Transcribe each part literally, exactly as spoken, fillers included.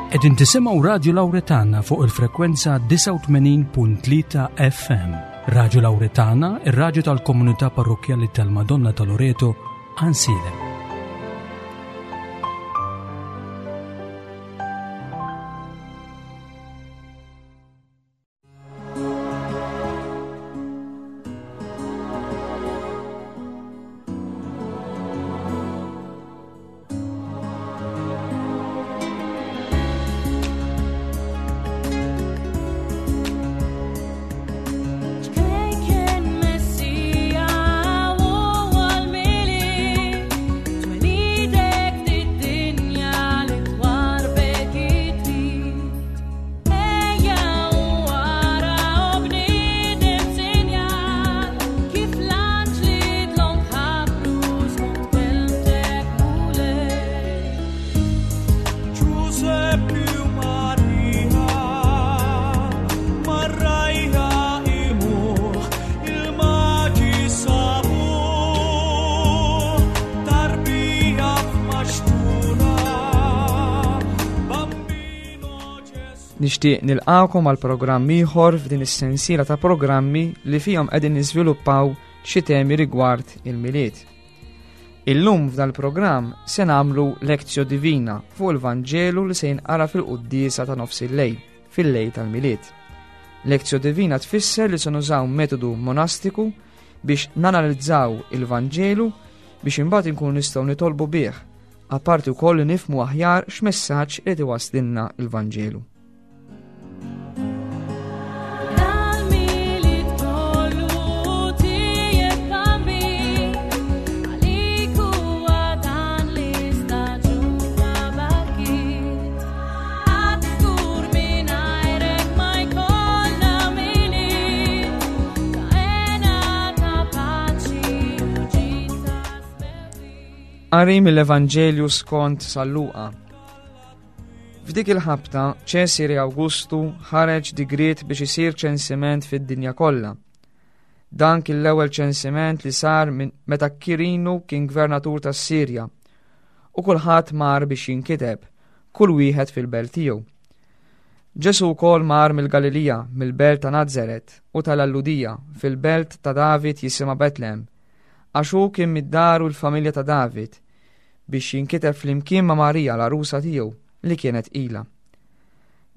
Qegħdin tisimgħu Radio Lauretana fuq il-frekwenza disgħa u tmenin punt tlieta F M. Radio Lauretana, ir-radju tal-komunità parrokkjali tal-Madonna ta' Loreto, Għajnsielem. Ċkejken Messija u għal-Milied, twelidek fid-dinja li twarbek it-trid. Ejja u ara o bniedem sinjal, kif l-anġli dlonk ħabbru skont kelmtek, Mulej. Giuseppe u Maria mar-rgħajja qimuh, il-maġi sabuh tarbija f'maxtura, Bambino Gesù. Nixtieq nilqakom għal programm ieħor f'din is-sensiela ta' programmi li fihom qegħdin niżviluppaw xi temi rigward il-Milied. Illum f'dan il-programm se nagħmlu Lectio Divina fuq il-Vanġelu li se jinqara fil-quddiesa ta' nofs il-lejl, fil-lejl tal-Milied. Lectio Divina tfisser li se nużaw metodu monastiku biex nanalizzaw il-Vanġelu biex imbagħad inkunu nistgħu nitolbu bih, apparti wkoll li nifhmu aħjar x'messaġġ irid iwasslilna il-Vanġelu. Dal-Milied kollu tiegħek Bambin, għalik huwa dan l-istaġun ta' barkiet. Għad żgur mingħajrek ma jkollna Milied, ta' hena, ta' paċi u ġid ta' smewwiet. Qari mill-Evanġelju skont San Luqa. F'dik il-ħabta, Ċesari Awgustu ħareġ digriet biex isir ċensiment fid-dinja kollha. Dan kien l-ewwel ċensiment li sar minn meta Kirinu kien gvernatur tas-Sirja. U kulħadd mar biex jinkiteb, kull wieħed fil-belt tiegħu. Ġesu wkoll mar mill-Galilija, mill-belt ta' Nazaret u tal-Lhudija, fil-belt ta' David jisimha Betlehem, għax hu kien mid-dar u l-familja ta' David, biex jinkiteb flimkien ma' Marija l-arusa tiegħu li kienet tqila.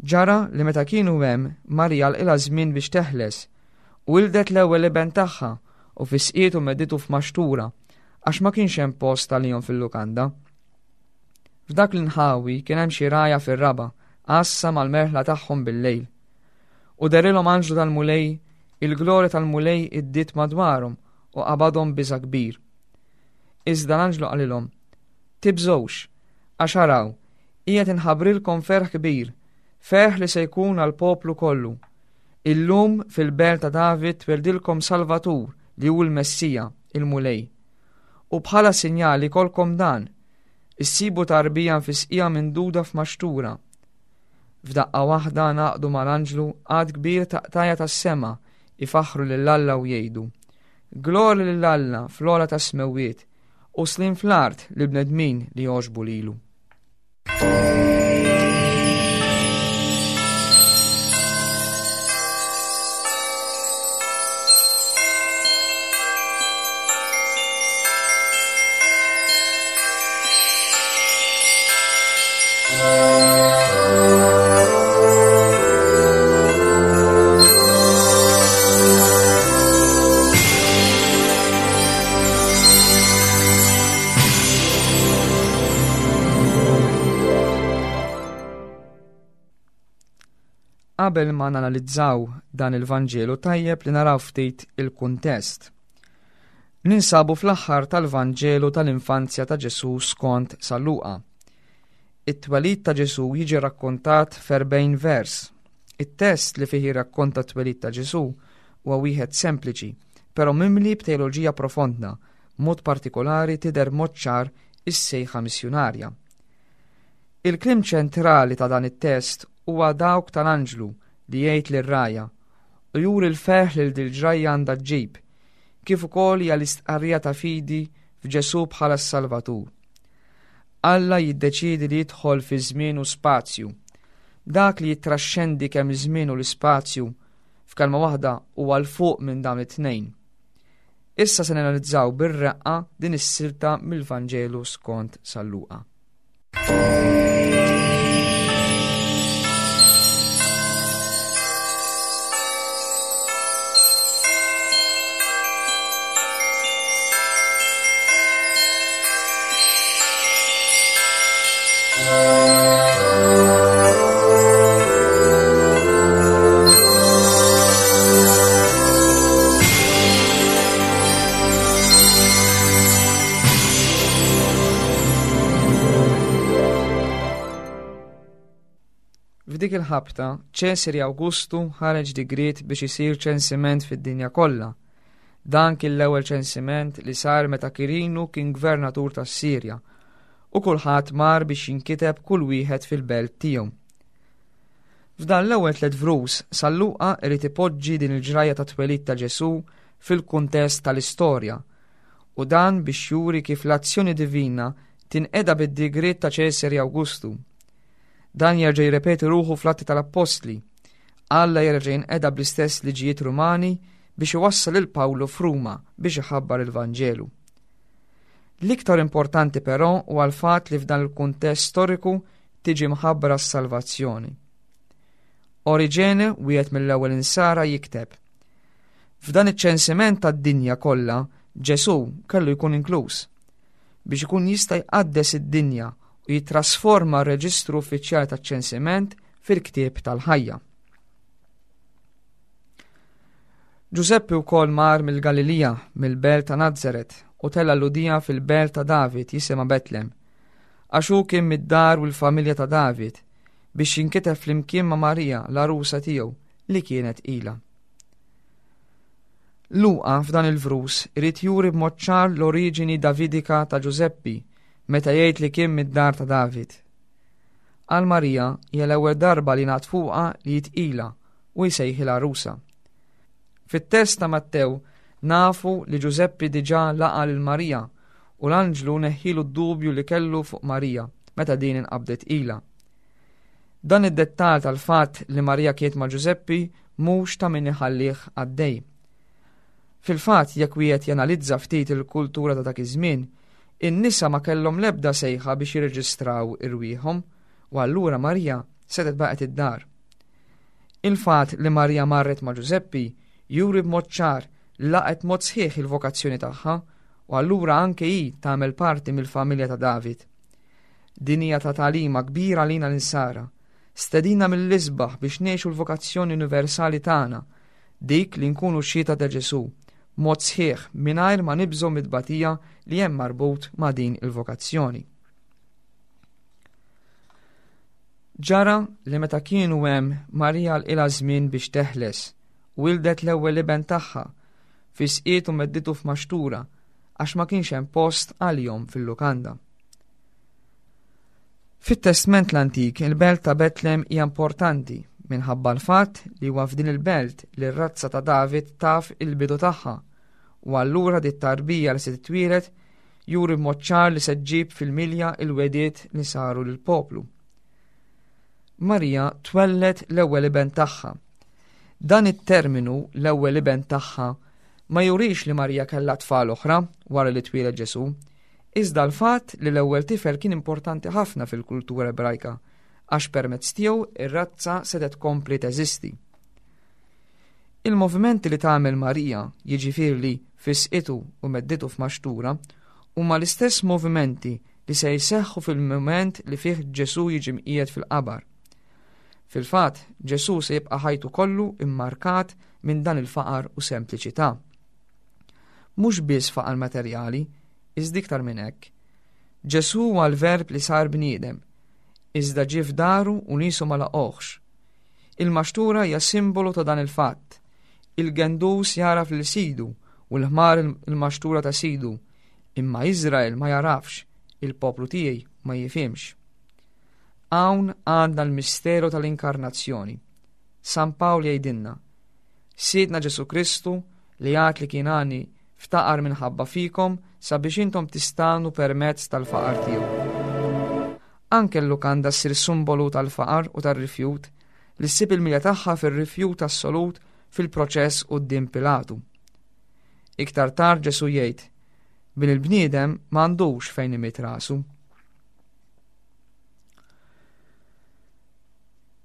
Ġara li meta kienu hemm, Marija lħaqilha żmien biex teħles, u wildet l-ewwel iben tagħha u fisqietu medditu f'maxtura, għax ma kienx hemm post għalihom fil-lukanda. F'dak l-inħawi kien hemm xi rgħajja fir-raba', għassa mal-merħla tagħhom bil-lejl. U dehrilhom anġlu tal-Mulej, il-glorja tal-Mulej iddiet madwarhom u qabadhom biża' kbir. Iżda l-anġlu qalilhom: "Tibżgħux, għax araw, qiegħed inħabbrilkom ferħ kbir, ferħ li se jkun għall-poplu kollu. Illum fil-belt ta' David tweldilkom Salvatur li hu l-Messija, il-Mulej. U bħala sinjali jkollkom dan, issibu tarbija fisqija minduda f'maxtura." F'daqqa waħda ngħaqdu mal-anġlu għadd kbir ta' qtajja tas-sema ifaħħru lil Alla u jgħidu: "Glorja lil Alla fl-ogħla tas-smewwiet u sliem fl-art lill-bnedmin li jogħġbu lilu." Qabel ma nanalizzaw dan il-Vanġelu, tajjeb li naraw ftit il-kuntest. Ninsabu fl-aħħar tal-Vanġelu tal-infanzja ta' Ġesu skont San Luqa. It-twelid ta' Ġesu jiġi rakkontat f'erbgħin vers. It-test li fih jirrakkonta t-twelid ta' Ġesu huwa wieħed sempliċi, però mimli b'teoloġija profonda, mod partikolari tidher mod ċar is-sejħa missjunarja. Il-kliem ċentrali ta' dan it-test huwa dawk tal-anġlu li jgħid lir-rgħajja u juri l-ferħ li dil-ġrajja għandha ġġib, kif ukoll hija l-istqarrija ta' fidi f'Ġesu bħala s-Salvatur. Alla jiddeċidi li jidħol fi żmien u spazju. Dak li jittraxxendi kemm iż-żmien u l-ispazju, f'kelma waħda huwa 'l fuq minn dawn it-tnejn. Issa se nanalizzaw bir-reqqa din is-silta mill-Vanġelu skont San Luqa. F'dik il-ħabta, Ċesari Awgustu ħareġ digriet biex isir ċensiment fid-dinja kollha. Dan kien l-ewwel ċensiment li sar meta Kirinu kien gvernatur tas-Sirja, u kulħadd mar biex jinkiteb kull wieħed fil-belt tiegħu. F'dan l-ewwel tliet vrus, San Luqa irid ipoġġi din il-ġrajja ta' twelid ta' Ġesù fil-kuntest tal-istorja, u dan biex juri kif l-azzjoni divina tinqeda bid-digriet ta' Ċesari Awgustu. Dan jerġa' jirrepeti ruħu fl-Atti tal-Appostli. Alla jerġa' jinqeda bl-istess liġijiet Rumani biex iwassal lil Pawlu f'Ruma biex iħabbar il-Vanġelu. L-iktar importanti però huwa l-fatt li f'dan il-kuntest storiku tiġi mħabbra s-salvazzjoni. Oriġene, wieħed mill-ewwel insara, jikteb: F'dan iċ-ċensiment tad-dinja kollha, Ġesù kellu jkun inkluż biex ikun jista' jqaddes id-dinja u jitrasforma r-reġistru uffiċjali taċ-ċensiment fil-ktieb tal-ħajja. Ġużeppi wkoll mar mill-Galilija, mill-belt ta' Nazaret, u tella' l-Lhudija fil-belt ta' David jisimha Betlem, għax hu kien mid-dar u l-familja ta' David, biex jinkiteb flimkien ma' Marija, l-għarusa tiegħu, li kienet ilha. Luqa f'dan il-vrus irid juri b'mod ċar l-oriġini Davidika ta' Ġużeppi meta jgħid li kien mid-dar ta' David. Għal Marija hija l-ewwel darba li ngħad fuqha li jitqila u jsejħilha għarusa. Fit-test ta' Mattew nafu li Ġużeppi diġà laqa' lil Marija u l-anġlu neħħilu d-dubju li kellu fuq Marija meta din inqabdet ilha. Dan id-dettall tal-fatt li Marija kienet ma' Ġużeppi mhux ta' min iħallih għaddej. Fil-fatt, jekk wieħed janalizza ftit il-kultura ta' dak iż-żmien, in-nisa ma kellhom l-ebda sejħa biex jirreġistraw irwieħhom, u allura Marija setgħet baqgħet id-dar. Il-fatt li Marija marret ma' Ġużeppi juri b'mod ċar li laqgħet mod sħiħ il-vokazzjoni tagħha, u allura anke hi tagħmel parti mill-familja ta' David. Din hija ta' tagħlima kbira lina l-insara, stedina mill-isbaħ biex ngħixu l-vokazzjoni universali tagħna, dik li nkunu xhieda ta' Ġesù, mod sħiħ mingħajr ma nibżgħu mid-tbatija li hemm marbut ma' din il-vokazzjoni. Ġara li meta kienu hemm Marija lqilha żmien biex teħles, wildet l-ewwel iben tagħha, fisqiet u medditu f'maxtura għax ma kienx hemm post għalihom fil-lukanda. Fit-Testment l-Antik, il-belt ta' Betlem hija importanti minħabba l-fatt li huwa f'din il-belt li r-razza ta' David taf il-bidu tagħha, u allura dit tarbija li se titwieled juri b'mod ċar li se ġġib fil-milja il-wediet li saru lill-poplu. Marija twellet l-ewwel iben tagħha. Dan it-terminu l-ewwel iben tagħha ma jurix li Marija kellha tfal oħra wara li twieled Ġesù, iżda l-fatt li l-ewwel tifel kien importanti ħafna fil-kultura Ebrajka għax permezz tiegħu ir-razza setgħet tkompli teżisti. Il-movimenti li tagħmel Marija, jiġifieri li fisqitu u medditu f'maxtura, huma l-istess movimenti li se jseħħu fil-mument li fih Ġesù jiġi mqiegħed fil-qabar. Fil-fatt, Ġesù se jibqa' ħajtu kollu immarkat minn dan il-faqar u sempliċità. Mhux biss faqar materjali, iżda iktar minn hekk. Ġesù huwa l-verb li sar bniedem, iżda ġie f'daru u niesu ma laqgħuhx. Il-maxtura hija simbolu ta' dan il-fatt. Il-gendus jaraf lil sidu u l-ħmar il-maxtura ta' sidu, imma Iżrael ma jarafx, il-poplu tiegħi ma jifhimx. Hawn għandna l-misteru tal-inkarnazzjoni. San Pawl jgħidilna, Sidna Ġesù Kristu li għad li kien għani ftaqar minħabba fikom sabiex intom tistanu permezz tal-faqar tiegħu. Anke l-lukanda ssir simbolu tal-faqar u tar-rifjut li ssib il-milja tagħha fir-rifjut assolut fil-proċess quddiem Pilatu. Iktar tard Ġesu jgħid, bin il-bniedem m'għandux fejn imidd rasu.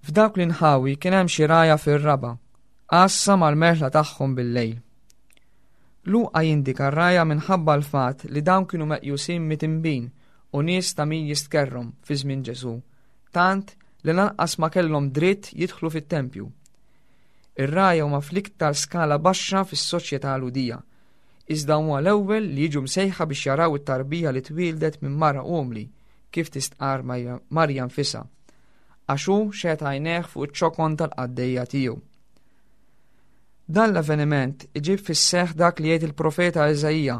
F'dawk l-inħawi kien hemm xi rgħajja fir-raba', għassa mal-merħla tagħhom bil-lejl. Luqa jindika r-rgħajja minħabba l-fatt li dawn kienu meqjusin mitimbin u nies ta' min jistkerrhom fi żmien Ġesu, tant li lanqas ma kellhom dritt jidħlu fit-tempju. Ir-rgħajja huma fl-iktar skala baxxa fis-soċjetà Lhudija, iżda huma l-ewwel li jiġu msejħa biex jaraw it-tarbija li twieldet minn mara umli, kif tistqarr Marja nfisha, għax hu xeħet għajnejh fuq iċ-ċokon tal-qaddejja tiegħu. Dan l-avveniment iġib fis-seħħ dak li jgħid il-profeta Iżaija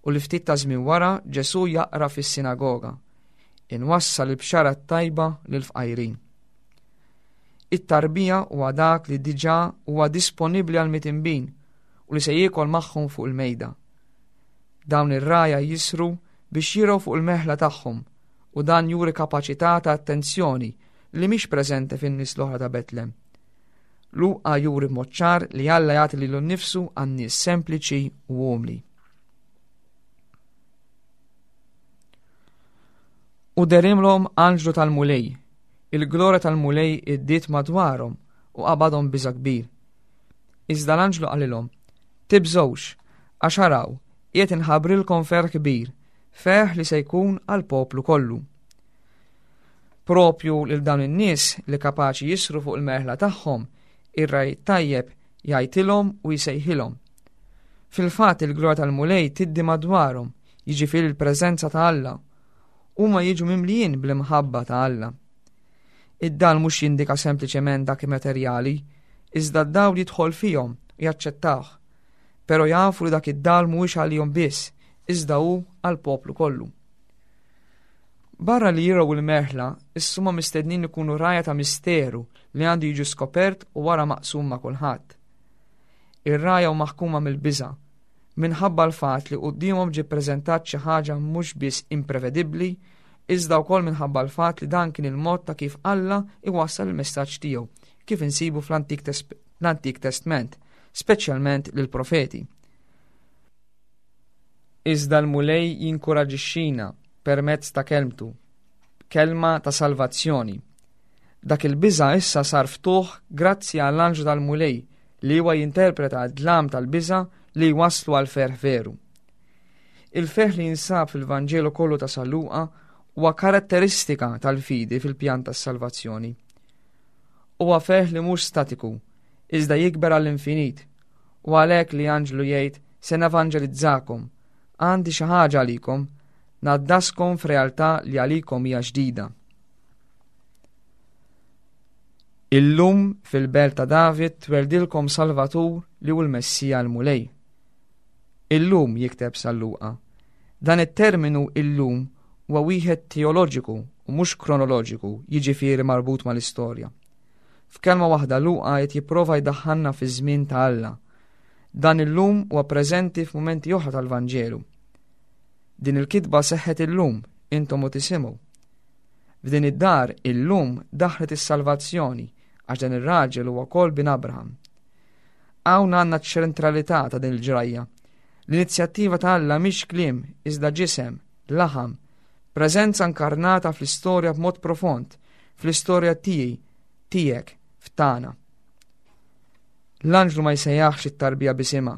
u li ftit ta' żmien wara Ġesu jaqra fis-sinagoga. Inwassal il-bxara t-tajba lill-fqajrin. It-tarbija huwa dak li diġà huwa disponibbli għal mitimbin u li se jiekol magħhom fuq il-mejda. Dawn ir-rgħajja jisru biex jirgħu fuq il-meħla tagħhom u dan juri kapaċità ta' attenzjoni li mhix preżenti fin-nies l-oħra ta' Betlem. Luqa juri b'mod ċar li Alla jagħti lilu nnifsu għan-nies sempliċi u umli. U derimlhom anġlu tal-Mulej, il-glorja tal-Mulej iddiet madwarhom u qabadhom biża' kbir. Iżda l-anġlu qalilhom, tibżgħux, għax araw, qiegħed inħabbrilkom ferħ kbir, ferħ li se jkun għall-poplu kollu. Propju lil dawn in-nies li kapaċi jisru fuq il-merħla tagħhom, ir-ragħaj tajjeb jgħidilhom u jsejħilhom. Fil-fatt il-glorja tal-Mulej tiddi madwarhom, jiġifieri l-preżenza ta' Alla. Huma jiġu mimlijin bl-imħabba ta' Alla. Id-dal mhux jindika sempliċement dak materjali, iżda d-dawl jidħol fihom u jaċċettawh. Però jafu li dak id-dal mhuwiex għalihom biss, iżda hu għall-poplu kollu. Barra li jiraw il-merħla, issuma mistednin ikunu rgħajja ta' misteru li għandu jiġu skopert u wara maqsum ma' kulħadd. Ir-rgħajja hu maħkuma mill-biża', minħabba l-fatt li quddiemhom ġie ppreżentat xi ħaġa mhux biss imprevedibbli, iżda wkoll minħabba l-fatt li dan kien il-mod ta' kif Alla iwassal il-messaġġ tiegħu, kif insibu fl-Antik Test-, l-Antik Testment, speċjalment lill-profeti. Iżda l-Mulej jinkuraġixxina permezz ta' kelmtu, kelma ta' salvazzjoni. Dak il-biża' issa sar ftuħ grazzi għall-anġlu tal-Mulej li huwa jinterpreta d-dlam tal-biża' li jwasslu għal ferħ veru. Il-ferħ li jinsab fil-Vanġelu kollu ta' San Luqa huwa karatteristika tal-fidi fil-pjan tas-salvazzjoni. Huwa ferħ li mhux statiku, iżda jikber għall-infinit, u għalhekk li anġlu jgħid se nevanġelizzakom, għandi xi ħaġa għalikom, naddaskom f'realtà li għalikom hija ġdida. Illum fil-belt ta' David tweldilkom Salvatur li hu l-Messija l-Mulej. Illum jikteb San Luqa. Dan it-terminu illum huwa wieħed teoloġiku u mhux kronoloġiku, jiġifieri marbut mal-istorja. F'kelma waħda Luqa qed jipprova jdaħħalna fiż-żmien ta' Alla. Dan illum huwa preżenti f'mumenti oħra tal-Vanġelu. Din il-kitba seħħet illum, intom u tisimgħu. F'din id-dar illum daħlet is-salvazzjoni għax dan ir-raġel huwa wkoll bin Abraham. Hawn għandna ċ-ċentralità ta' din il-ġrajja. L-inizjattiva ta' Alla mhix kliem iżda ġisem, laħam, preżenza inkarnata fl-istorja b'mod profond, fl-istorja tiegħi, tiegħek, f'tagħna. L-anġlu ma jsejjaħx it-tarbija bisimha,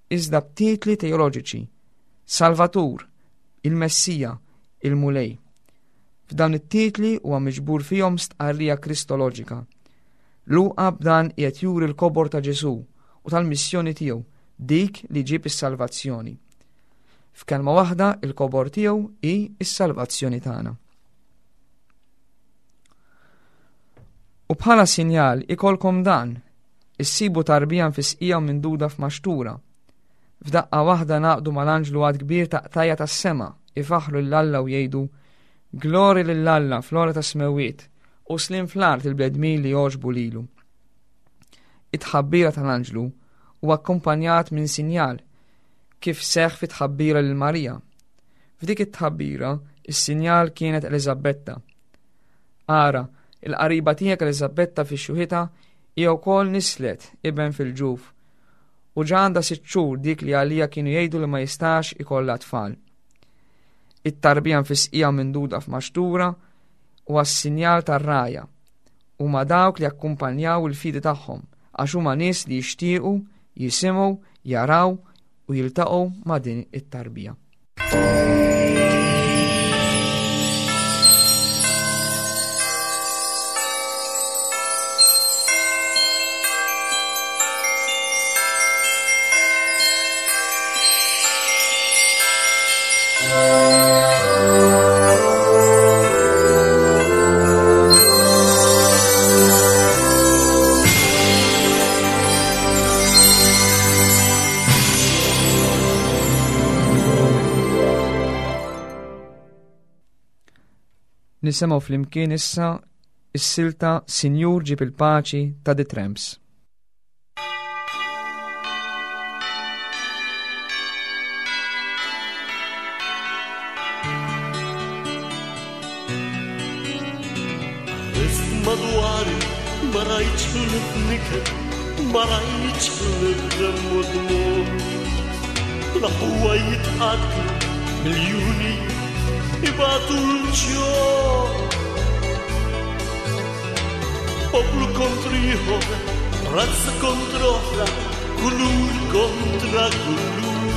iżda b'titli teoloġiċi: Salvatur, il-Messija, il-Mulej. F'dawn it-titli huwa miġbur fihom stqarrija kristoloġika. Luqa b'dan qiegħed juri l-kobor ta' Ġesù u tal-missjoni tiegħu, dik li ġib is-salvazzjoni. F'kelma waħda, il-kobor tiegħu hi s-salvazzjoni tagħna. U bħala sinjal ikolkom dan, issibu tarbija mfisqija u minduda f'maxtura. F'daqqa waħda naqdu mal-anġlu għad kbir ta' qtajja tas-sema, ifaħru lil Alla u jgħidu, Glori lil Alla fl-ogħla tas-smewwiet u slim fl-art il-bnedmin li jogħġbu lilu. It-tħabbira tal-anġlu huwa akkumpanjat minn sinjal kif seħħ fit-tħabbira lil Marija. F'dik it-tħabbira, is-sinjal kienet Eliżabetta. Ara, il-qariba tiegħek Eliżabetta fi xjuħitha hija wkoll nislet iben fil-ġuf. U ġa għandha sitt xhur dik li għalija kienu jgħidu li ma jistax ikollha tfal. It-tarbija nfisqija minduda f'maxtura u għas-sinjal tar-rgħajja huma dawk li akkumpanjaw il-fidi tagħhom għax huma nies li jixtiequ, jisimgħu, jaraw u jiltaqgħu ma' din it-tarbija. Nisimgħu flimkien issa is-silta Sinjur ġib il-paċi ta' The Tramps. Ħarist madwari ma rajtx l-niket, ma rajtx l-dem u dmugħ. L-aħwa jitqatlu miljuni ibatu l-ġuħ. Poplu kontra ieħor, razza kontra oħra, kulur kontra kulur.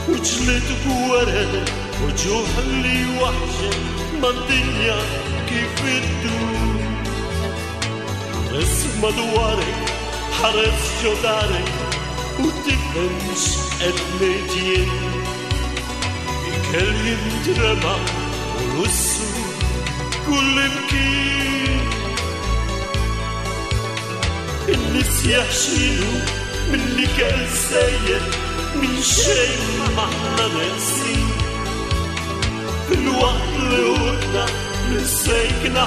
U ġlied gwerer, u ġuħ li waħxet mad-dinja kif iddur. Ħares madwarek, ħares ġo darek, u tifhemx qed ngħid jien. Ikel jintrema u lussu kull imkien. In-nies jaħxilu mill-ikel sejjer, minn xejn m'aħna neqsin. Fil-waqt li ħutna, minn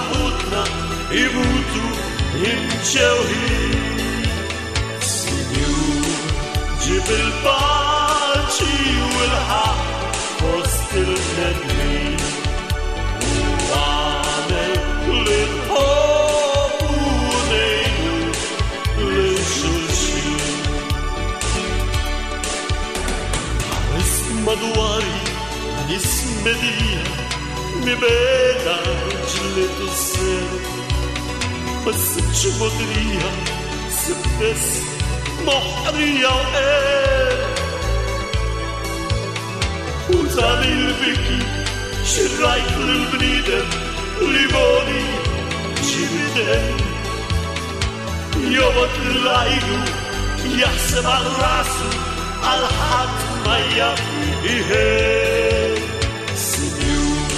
ħutna, imutu imġewħin. Sinjur, ġib il-paċi u l-ħaqq fost il-bnedmin. U għamel li nħobbu u ngħinu lil xulxin. Ħares madwari nies medija mibeda ġlied u s-ser. Ma sibtx mogħdrija, sibt biss moħqrija u qerq. U dan il-biki xirrajt lill-bniedem li boni ġibidem. Jobgħod lil għajru, jaħseb għal rasu, għal ħadd ma jaf iħen. Sinjur,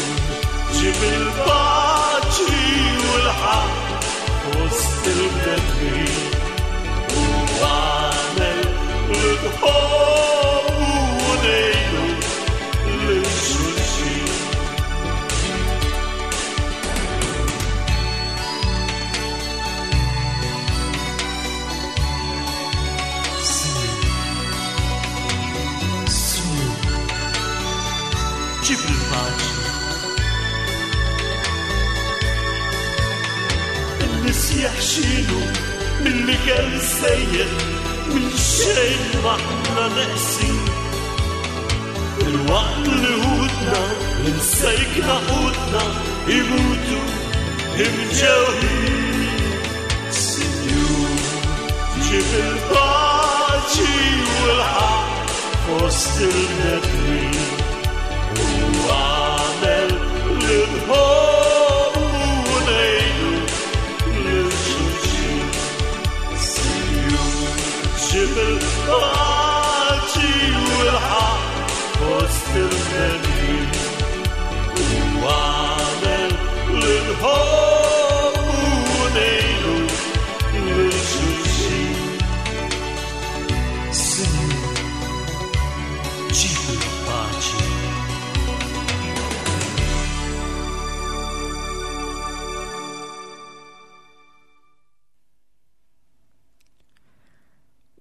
ġib il-paċi u l-ħaqq fost il-bnedmin. U għamel li nħobbu u ngħinu lil xulxin. Sinjur, Sinjur, ġib il-paċi. In-nies jaħxilu mill-ikel sejjer, minn xejn m'aħna neqsin. Il-waqt li ħutna, li msejkna ħutna, imutu imġewħin. Sinjur, ġib il-paċi u l-ħaqq fost il-bnedmin. U għamel li nħobbu u ngħinu lil xulxin. Sinjur, ġib il-paċi u l-ħaqq fost il-bnedmin. U għamel li nħobbu u ngħinu lil xulxin. Sinjur, ġib il-paċi.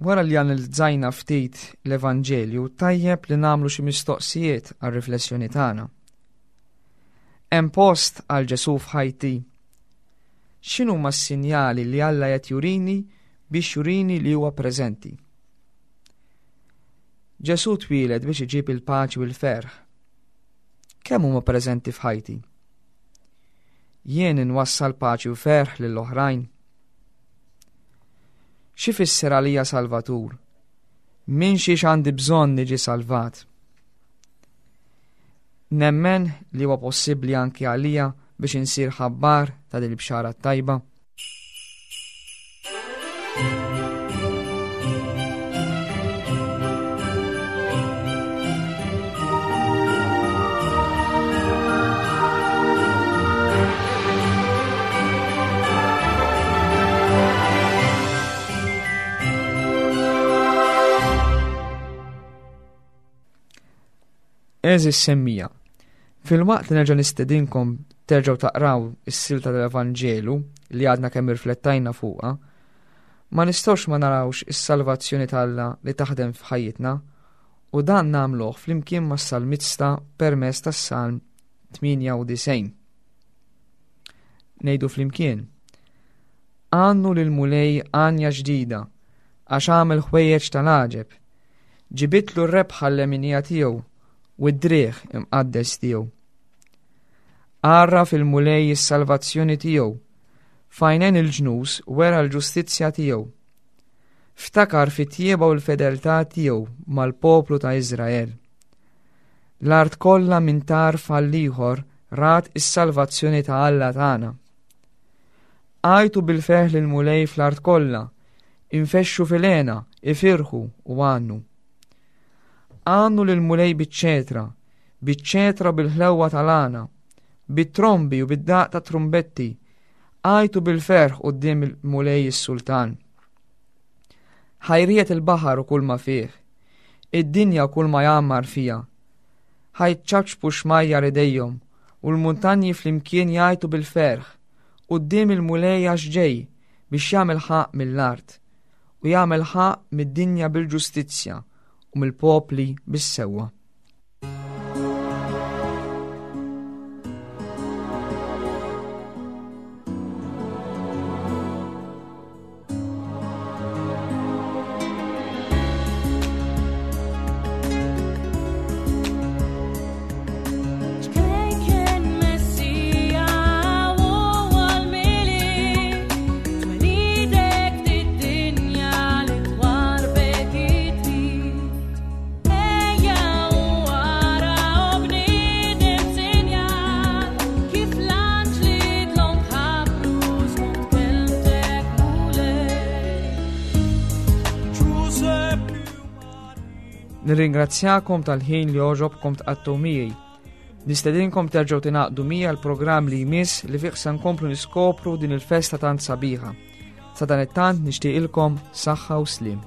Wara li analizzajna ftit l-Evanġelju, tajjeb li nagħmlu xi mistoqsijiet għar-riflessjoni tagħna. Hemm post għal Ġesù f'ħajti? X'inhuma s-sinjali li Alla qed jurini biex jurini li huwa preżenti? Ġesù twieled biex iġib il-paċi u l-ferħ. Kemm huma preżenti f'ħajti? Jien inwassal paċi u ferħ lill-oħrajn. X'ifisser għalija Salvatur? Minn xiex għandi bżonn niġi salvat? Nemmen li huwa possibbli anki għalija biex insir ħabbar ta' din il-bxara tajba. Għeżież semmiegħa, filwaqt li nerġa' nistedinkom terġgħu taqraw is-silta tal-Evanġelu li għadna kemm irflettajna fuqha, ma nistgħux ma narawx is-salvazzjoni t'Alla li taħdem f'ħajjitna u dan nagħmluh flimkien mas-salmista permezz tas-Salm tmienja u disgħin. Ngħidu flimkien: Għannu lill-Mulej għanja ġdida, għax għamel ħwejjeġ tal-għaġeb. Ġibitlu r-rebħa l-leminija tiegħu u d-driegħ imqaddes tiegħu. Għarraf il-Mulej is-salvazzjoni tiegħu, f'għajnejn il-ġnus wera l-ġustizzja tiegħu. Ftakar fit-tjieba u l-fedeltà tiegħu mal-poplu ta' Iżrael. L-art kollha minn tarf għall-ieħor rat is-salvazzjoni ta' Alla tagħna. Għajtu bil-ferħ lill-Mulej fl-art kollha, infexxu fil-hena, ifirħu u għannu. Għannu lill-Mulej biċ-ċetra, biċ-ċetra bil-ħlewwa tal-għana, bit-trombi u bid-daq ta' trumbetti, għajtu bil-ferħ quddiem il-Mulej is-Sultan. Ħa jriegħed il-baħar u kull ma fih, id-dinja u kull ma jgħammar fiha. Ħa jċapċpu xmajjar idejhom u l-muntanji flimkien jgħajtu bil-ferħ quddiem il-Mulej għax ġej biex jagħmel ħaqq mill-art u jagħmel ħaqq mid-dinja bil-ġustizzja u mill-popli bis-sewwa. Ċkejken Messija u għal-Milied, twelidek d-dinja li twarbek it-trid. Ejja u ara u bniedem sinjal, kif l-anġli dlonk ħabbru skont kelmtek Mulej. Nirringrazzjakom tal-ħin li għoġobkom tqattgħu miegħi. Nistedinkom terġgħu tingħaqdu miegħi għall-programm li jmiss li fih se nkomplu niskopru din il-festa tant sabiħa. Sadanittant nixtieqilkom saħħa u sliem.